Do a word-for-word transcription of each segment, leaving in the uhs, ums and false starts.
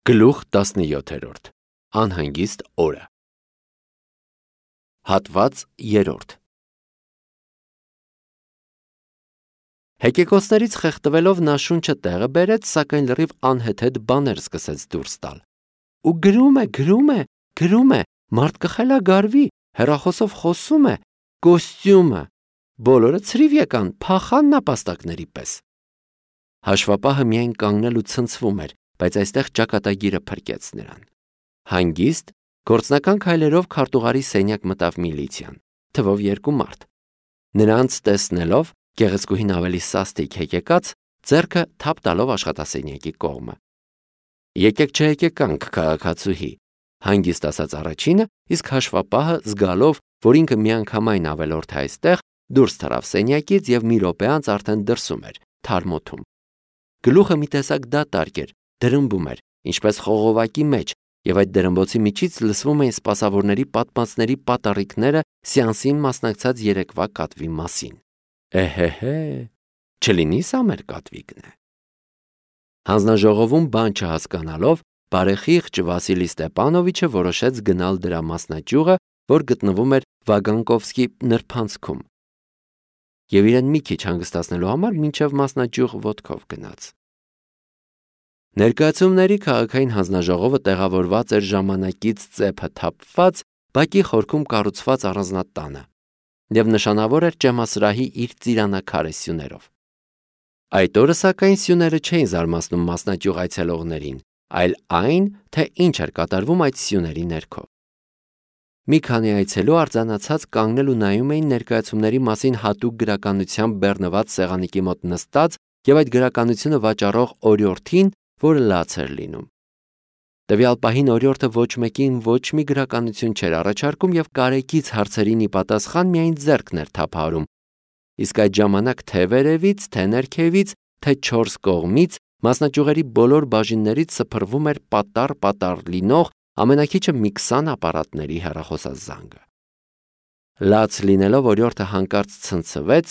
Գլուխ տասնյոթերորդ Անհանգիստ օրը Հատված երրորդ Հեկեկոսներից խեղդվելով նա շունչը տեղը բերեց, սակայն լրիվ անհեթեթ բաներ սկսեց դուրս տալ։ Ու գրում է, գրում է, գրում է, մարդ կխելագարվի, հեռախոսով խոսում է, կոստյումը, բոլորը ցրիվ եկան, փախան նապաստակների պես։ Հաշվապահը միայն կանգնել ու ցնցվում էր, բայց այստեղ ճակատագիրը փրկեց նրան։ Հանգիստ, գործնական քայլերով քարտուղարի սենյակ մտավ միլիցիան, թվով երկու մարդ։ Նրանց տեսնելով, գեղեցկուհին ավելի սաստիկ հեկեկած, ձեռքը թափ տալով աշխատասենյակի կողմը։ Եկեք չհեկեկանք, քաղաքացուհի, հանգիստ ասաց առաջինը, իսկ հաշվապահը զգալով, որ ինքը միանգամայն ավելորդ է այստեղ, դուրս թռավ սենյակից և մի րոպե անց արդեն դրսում էր, թարմոթում։ Գլուխը մի տեսակ դատարկ էր, դրմբում էր, ինչպես խողովակի մեջ, և այդ դրմբոցի միջից լսվում էին սպասավորների պատմածների պատառիկները սեանսին մասնակցած երեկվա կատվի մասին։ Էհեհե, չլինի սա մեր կատվիկն է։ Հանձնաժողովում բան չհասկանալով, բարեխիղճ Վասիլի Ստեպանովիչը որոշեց գնալ դրա մասնաճյուղը, որ գտնվում էր Վագանկովսկի նրբանցքում, և իրեն մի քիչ հանգստացնելու համար մինչև մասնաճյուղ ոտքով գնաց։ Ներկայացումների քաղաքային հանձնաժողովը տեղավորված էր ժամանակից ծեփը թափված, բակի խորքում կառուցված առանձնատանը, և նշանավոր էր ճեմասրահի իր ծիրանակարե սյուներով։ Այդ օրը սակայն սյուները չէին զարմացնում մասնաճյուղ այցելողներին, այլ այն, թե ինչ էր կատարվում այդ սյուների ներքո։ Մի քանի այցելու արձանացած կանգնել ու նայում էին ներկայացումների մասին հատուկ գրականությամբ բեռնված սեղանիկի մոտ նստած և այդ գրականությունը վաճառող օրիորդին, որը լաց էր լինում։ Տվյալ պահին օրիորդը ոչ մեկին ոչ մի գրականություն չէր առաջարկում և կարեկից հարցերին ի պատասխան միայն ձեռքն էր թափահարում, իսկ այդ ժամանակ թե վերևից, թե ներքևից, թե չորս կողմից մասնաճյուղերի բոլոր բաժիններից սփռվում էր պատառ-պատառ լինող ամենաքիչը մի քսան ապարատների հեռախոսազանգը։ Լաց լինելով օրիորդը հանկարծ ցնցվեց,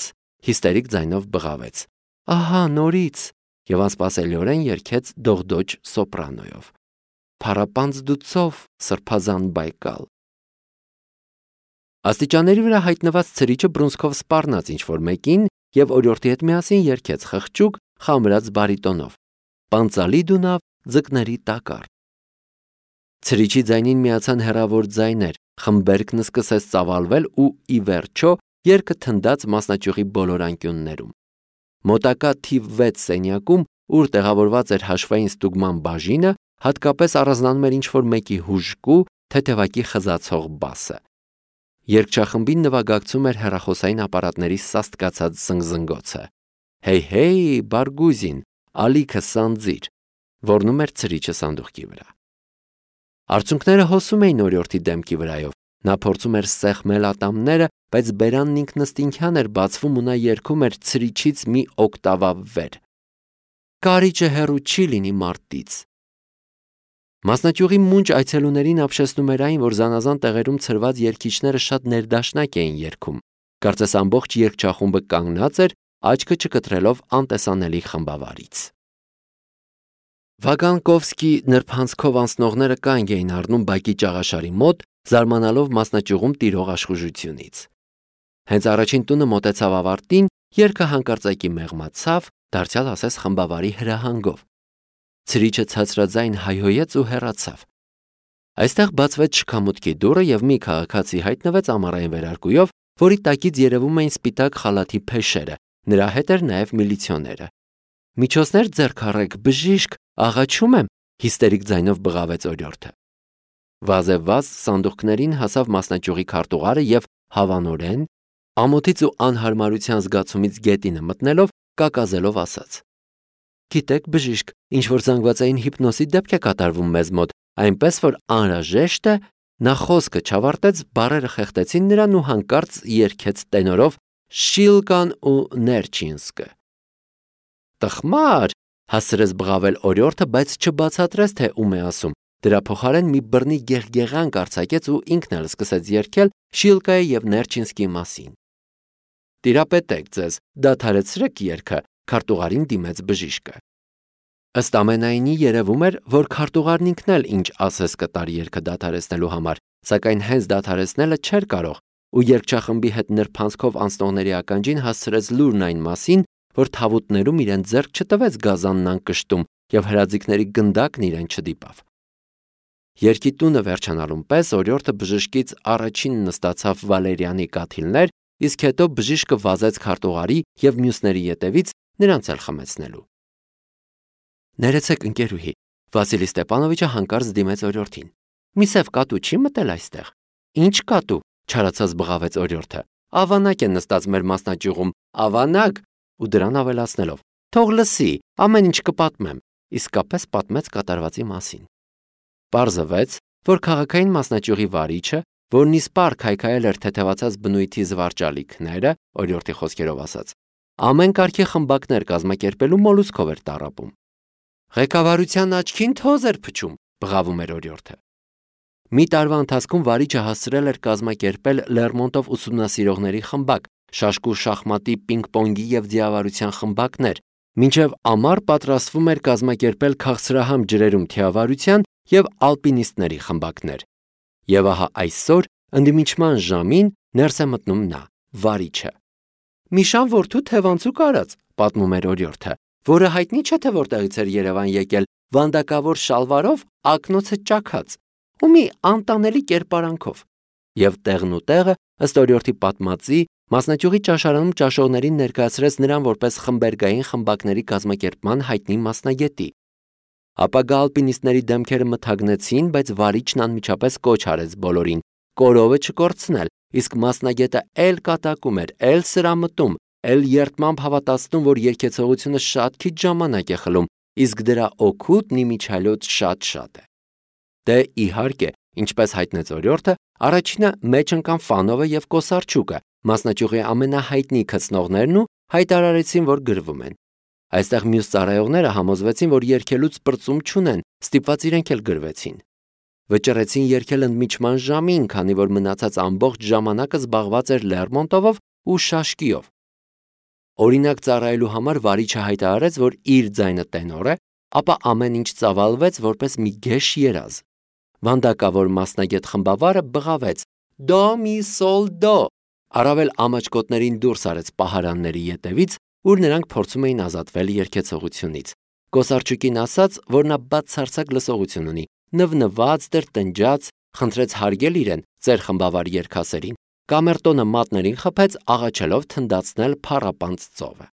հիստերիկ ձայնով բղավեց. «Ահա նորից» և անսպասելիորեն երգեց դողդոջ սոպրանոյով. «Փառապանծ դու ծով, սրբազան Բայկալ»։ Աստիճանների վրա հայտնված ցրիչը բռունցքով սպառնաց ինչ-որ մեկին և օրիորդի հետ միասին երգեց խղճուկ, խամրած բարիտոնով. «Պանծալի դունավ, ձկների տակառ»։ Ցրիչի ձայնին միացան հեռավոր ձայներ, խմբերկն սկսեց ծավալվել ու, ի վերջո, երգը թնդաց մասնաճյուղի բոլոր անկյուններում։ Մոտակա թիվ վեց սենյակում, ուր տեղավորված էր հաշվային ստուգման բաժինը, հատկապես առանձնանում էր ինչ-որ մեկի հուժկու, թեթևակի խզացող բասը։ Երգչախմբին նվագակցում էր հեռախոսային ապարատների սաստկացած զնգզնգոցը։ «Հեյ-հեյ, Բարգուզին, ալիքը սանձիր», ոռնում էր ցրիչը սանդուղքի վրա։ Արցունքները հոսում էին օրիորդի դեմքի վրայով, նա փորձում էր սեղմել ատամները, բայց բերանն ինքնըստինքյան էր բացվում ու նա երգում էր ցրիչից մի օկտավա վեր։ «Կարիճը հեռու չի լինի մարտից»։ Մասնաճյուղի մունջ այցելուներին ապշեցնում էր այն, որ զանազան տեղերում ցրված երգիչները շատ ներդաշնակ էին երգում, կարծես ամբողջ երգչախումբը կանգնած էր, աչքը չկտրելով անտեսանելի խմբավարից։ Վագանկովսկի նրբանցքով անցնողները կանգ էին առնում բակի ճաղաշարի մոտ, զարմանալով մասնաճյուղում տիրող աշխուժությունից։ Հենց առաջին տունը մոտեցավ ավարտին, երգը հանկարծակի մեղմացավ, դարձյալ ասես խմբավարի հրահանգով։ Ցրիչը ցածրաձայն հայհոյեց ու հեռացավ։ Այստեղ բացվեց շքամուտքի դուռը և մի քաղաքացի հայտնվեց ամառային վերարկուով, որի տակից երևում էին սպիտակ խալաթի փեշերը, նրա հետ էր նաև միլիցիոները։ «Միջոցներ ձեռք առեք, բժիշկ, աղաչում եմ», հիստերիկ ձայնով բղավեց օրիորդը։ Վազեվազ սանդուղքներին հասավ մասնաճյուղի քարտուղարը և հավանորեն, ամոթից ու անհարմարության զգացումից գետինը մտնելով, կակազելով ասաց. «Գիտեք, բժիշկ, ինչ-որ զանգվածային հիպնոսի դեպք է կատարվում մեզ մոտ, այնպես որ անհրաժեշտ է»։ Նա խոսքը չավարտեց, բառերը խեղդեցին նրան ու հանկարծ երգեց տենորով «Շիլկան ու Ներջինսկը»։ «Տխմար», հասցրեց բղավել օրիորդը, բայց չբացատրեց, թե ում է ասում։ Դրա փոխարեն մի բռնի գեղգեղանք արձակեց ու ինքն էլ սկսեց երգել Շիլկայի և Ներջինսկի մասին։ «Տիրապետեք ձեզ, դադարեցրեք երգը», քարտուղարին դիմեց բժիշկը։ Ըստ ամենայնի երևում էր, որ քարտուղարն ինքն էլ ինչ ասես կտար երգը դադարեցնելու համար, սակայն հենց դադարեցնելը չէր կարող, ու երգչախմբի հետ նրբանցքով անցնողների ականջին հասցրեց լուրն այն մասին, որ թավուտներում իրեն ձեռք չտվեց գազանն անկշտում եւ հրաձիգների գնդակն իրեն չդիպավ։ Երգի տունը վերջանալուն պես օրիորդը բժշկից առաջին նստացավ Վալերյանի կաթիլներ, իսկ հետո բժիշկը վազեց քարտուղարի եւ մյուսների ետևից նրանց էլ խմեցնելու։ Ներեցեք ընկերուհի, Վասիլի Ստեփանովիչը հանկարծ դիմեց օրիորդին։ Մի սև կատու չի մտել այստեղ։ Ինչ կատու, չարացած բղավեց օրիորդը։ Ավանակ է նստած մեր մասնաճյուղում, ավանակ, ու դրան ավելացնելով. Թող լսի, ամեն ինչ կպատմեմ, իսկապես պատմեց կատարվածի մասին։ Պարզվեց, որ քաղաքային մասնաճյուղի վարիչը, որն իսպառ քայքայել էր թեթևացած բնույթի զվարճալիքները, օրիորդի խոսքերով ասած, ամեն կարգի խմբակներ կազմակերպելու մոլուսկով էր տառապում։ Ղեկավարության աչքին թոզ էր փչում, բղավում էր օրիորդը։ Մի տարվա ընթացքում վարիչը հասցրել էր կազմակերպել Լերմոնտով ուսումնասիրողների խմբակ, շաշկու շախմատի, պինգ-պոնգի եւ ձիավարության խմբակներ, մինչև ամառ պատրաստվում էր կազմակերպել քաղցրահամ ջրերում թիավարության եւ ալպինիստների խմբակներ։ Եվ ահա այսօր ընդդիմիչման ժամին ներս է մտնում նա, վարիչը։ Միշան որդու թևանցուկ արած, պատմում էր օրիորդը, որը հայտնի չէ թե որտեղից էր Երևան եկել, վանդակավոր շալվարով, ակնոցը ճաքած, ու մի անտանելի կերպարանքով։ Եվ տեղն ու տեղը, ըստ օրիորդի պատմածի, մասնաճյուղի ճաշարանում ճաշողներին ներկայացրեց նրան որպես խմբերգային խմբակների կազմակերպման հայտնի մասնագետի։ Ապագա ալպինիստների դեմքերը մթագնեցին, բայց վարիչն անմիջապես կոչ արեց բոլորին կորովը չկորցնել, իսկ մասնագետը էլ կատակում էր, էլ սրամտում, էլ երդմամբ հավատացնում, որ երգեցողությունը շատ քիչ ժամանակ է խլում, իսկ դրա օգուտն իմիջիալոց շատ-շատ է։ Դե իհարկե, ինչպես հայտնեց օրիորդը, առաջինը մեջ ընկան Ֆանովը եւ Կոսարչուկը, մասնաճյուղի ամենահայտնի քծնողներն ու հայտարարեցին, որ գրվում են։ Այստեղ մյուս ծառայողները համոզվեցին, որ երգելուց պրծում չունեն, ստիպված իրենք էլ գրվեցին։ Վճռեցին երգել ընդմիջման ժամին, քանի որ մնացած ամբողջ ժամանակը զբաղված էր Լերմոնտովով ու շաշկիով։ Օրինակ ծառայելու համար վարիչը հայտարարեց, որ իր ձայնը տենոր է, ապա ամեն ինչ ծավալվեց որպես մի գեշ երազ։ Վանդակավոր մասնագետ խմբավարը բղավեց. Դո մի սոլ դո, առավել ամաչկոտներին դուրս արեց պահարանների ետևից, ուր նրանք փորձում էին ազատվել երգեցողությունից։ Կոսարչուկին ասաց, որ նա բացարձակ լսողություն ունի, նվնված դեր տնջաց, խնդրեց հարգել իրեն, ծեր խմբավար երգասերին, կամերտոնը մատներին խփեց, աղաչելով թնդացնել փառապանծ ծովը։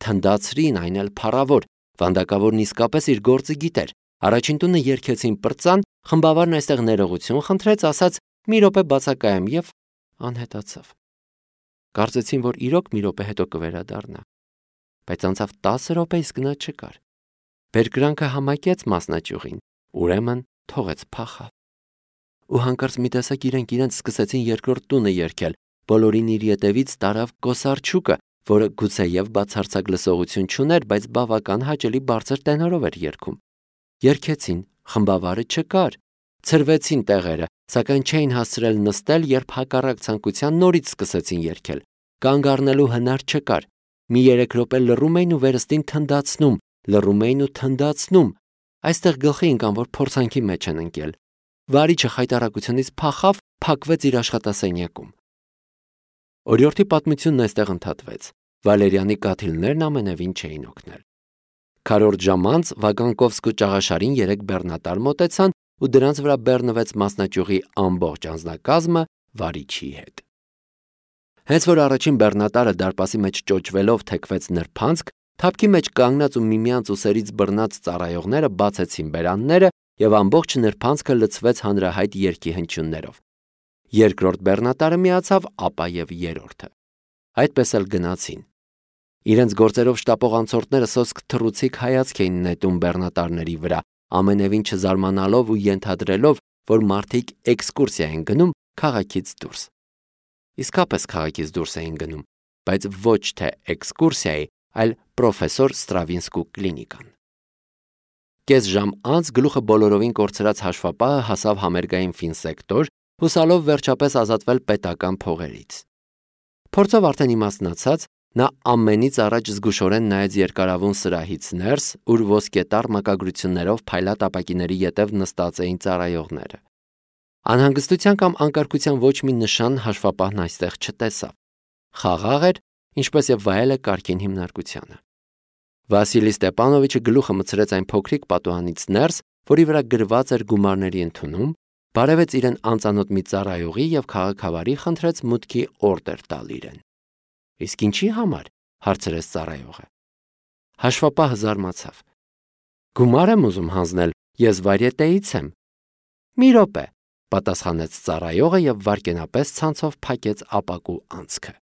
Թնդացրին, այն էլ փառավոր, վանդակավորն իսկապես իր գործը գիտեր։ Առաջին տունը երգեցին պրծան, խմբավարն այստեղ ներողություն խնդրեց, ասաց մի րոպե բացակայեմ եւ անհետացավ։ Կարծեցին, որ իրոք մի րոպե հետո կվերադառնա, բայց անցավ տասը րոպե, իսկ նա չկար։ Բերկրանքը համակեց մասնաճյուղին, ուրեմն թողեց փախավ։ Ու հանկարծ մի տեսակ իրենք իրենց սկսեցին երկրորդ տունը երգել, բոլորին իր ետևից տարավ Կոսարչուկը, որը գուցեև բացարձակ լսողություն չուներ, բայց բավական հաճելի բարձր տենորով էր երգում։ Երգեցին, խմբավարը չկար, ցրվեցին տեղերը, սակայն չէին հասցրել նստել, երբ հակառակ ցանկության նորից սկսեցին երգել։ Կանգ առնելու հնար չկար։ Մի երեք րոպե լռում էին ու վերստին թնդացնում, լռում էին ու թնդացնում։ Այստեղ գլխի ընկան, որ փորձանքի մեջ են ընկել։ Վարիչը խայտարակությունից փախավ, փակվեց իր աշխատասենյակում։ Օրիորդի պատմությունն այստեղ ընդհատվեց։ Վալերյանի կաթիլներն ամենևին չէին օգնել։ Քառորդ ժամ անց Վագանկովսկու ճաղաշարին երեք բեռնատար մոտեցան ու դրանց վրա բեռնվեց մասնաճյուղի ամբողջ անձնակազմը վարիչի հետ։ Հենց որ առաջին բեռնատարը դարպասի մեջ ճոճվելով թեքվեց նրբանցք, թափքի մեջ կանգնած ու միմյանց ուսերից բռնած ծառայողները բացեցին բերանները եւ ամբողջ նրբանցքը լցվեց հանրահայտ երգի հնչյուններով։ Երկրորդ բեռնատարը միացավ, ապա եւ երրորդը։ Այդպես էլ գնացին։ Իրենց գործերով շտապող անցորդները սոսկ թռուցիկ հայացք էին նետում բեռնատարների վրա, ամենևին չզարմանալով ու ենթադրելով, որ մարդիկ էքսկուրսիա են գնում քաղաքից դուրս։ Իսկապես քաղաքից դուրս էին գնում, բայց ոչ թե էքսկուրսիայի, այլ պրոֆեսոր Ստրավինսկու կլինիկան։ Կես ժամ անց գլուխը բոլորովին կորցրած հաշվապահը հասավ համերգային ֆինսեկտոր, հուսալով վերջապես ազատվել պետական փողերից։ Փորձով արդեն իմաստնացած, Նա ամենից առաջ զգուշորեն նայեց երկարավուն սրահից ներս, ուր ոսկետառ մակագրություններով փայլատ ապակիների ետև նստած էին ծառայողները։ Անհանգստության կամ անկարգության ոչ մի նշան հաշվապահն այստեղ չտեսավ։ Խաղաղ էր, ինչպես եւ վայել է կարգին հիմնարկությանը։ Վասիլի Ստեպանովիչը գլուխը մտցրեց այն փոքրիկ պատուհանից ներս, որի վրա գրված էր գումարների ընդունում, բարևեց իրեն անծանոթ մի ծառայողի եւ քաղաքավարի խնդրեց մուտքի օրդեր տալ իրեն։ Իսկ ինչի համար, հարցրեց ծառայողը։ Հաշվապահը զարմացավ։ Գումար եմ ուզում հանձնել, ես վարյետեից եմ։ Մի րոպե, պատասխանեց ծառայողը եւ վարկենապես ցանցով փակեց ապակու անցքը։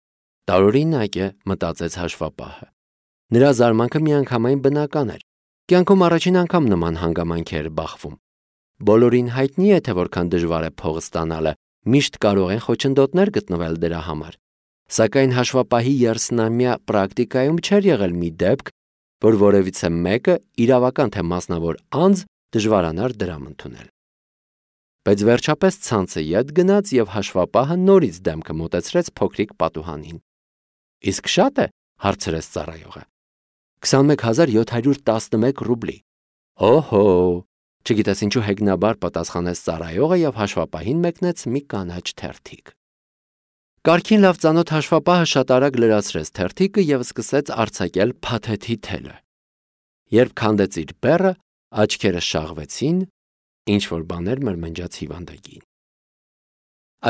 Տարօրինակ է, մտածեց հաշվապահը։ Նրա զարմանքը միանգամայն բնական էր։ Կյանքում առաջին անգամ նման հանգամանքի էր բախվում։ Բոլորին հայտնի է, թե որքան դժվար է փող ստանալը, միշտ կարող են խոչընդոտներ գտնվել դրա համար։ Սակայն հաշվապահի երեսնամյա պրակտիկայում չէր եղել մի դեպք, որ որևիցե մեկը իրավական թե մասնավոր անձ դժվարանար դրամ ընդունել։ Բայց վերջապես ցանցը ետ գնաց եւ հաշվապահը նորից դեմքը մոտեցրեց փոքրիկ պատուհանին։ Իսկ շատ է, հարցրեց ծառայողը։ քսանմեկ հազար յոթ հարյուր տասնմեկ ռուբլի։ Օհո, չգիտես ինչու հեգնաբար պատասխանեց ծառայողը եւ հաշվապահին մեկնեց մի կանաչ թերթիկ։ Կարգին լավ ծանոթ հաշվապահը շատ արագ լրացրեց թերթիկը եւ սկսեց արձակել փաթեթի թելը։ Երբ քանդեց իր բեռը, աչքերը շաղվեցին, ինչ որ բաներ մրմնջաց հիվանդագին։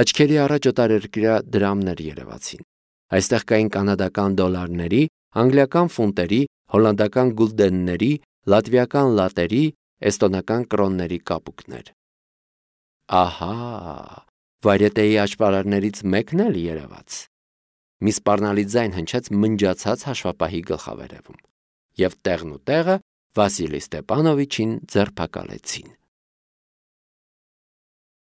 Աչքերի առաջ օտարերկրյա դրամներ երևացին։ Այստեղ կային կանադական դոլարների, անգլիական ֆունտերի, հոլանդական գուլդենների, լատվիական լատերի, էստոնական կրոնների կապուկներ։ Ահա, վարյետեի աճպարարներից մեկն էլ երևաց։ Մի սպառնալի ձայն հնչեց մնջացած հաշվապահի գլխավերևում, եւ տեղն ու տեղը Վասիլի Ստեպանովիչին ձերբակալեցին։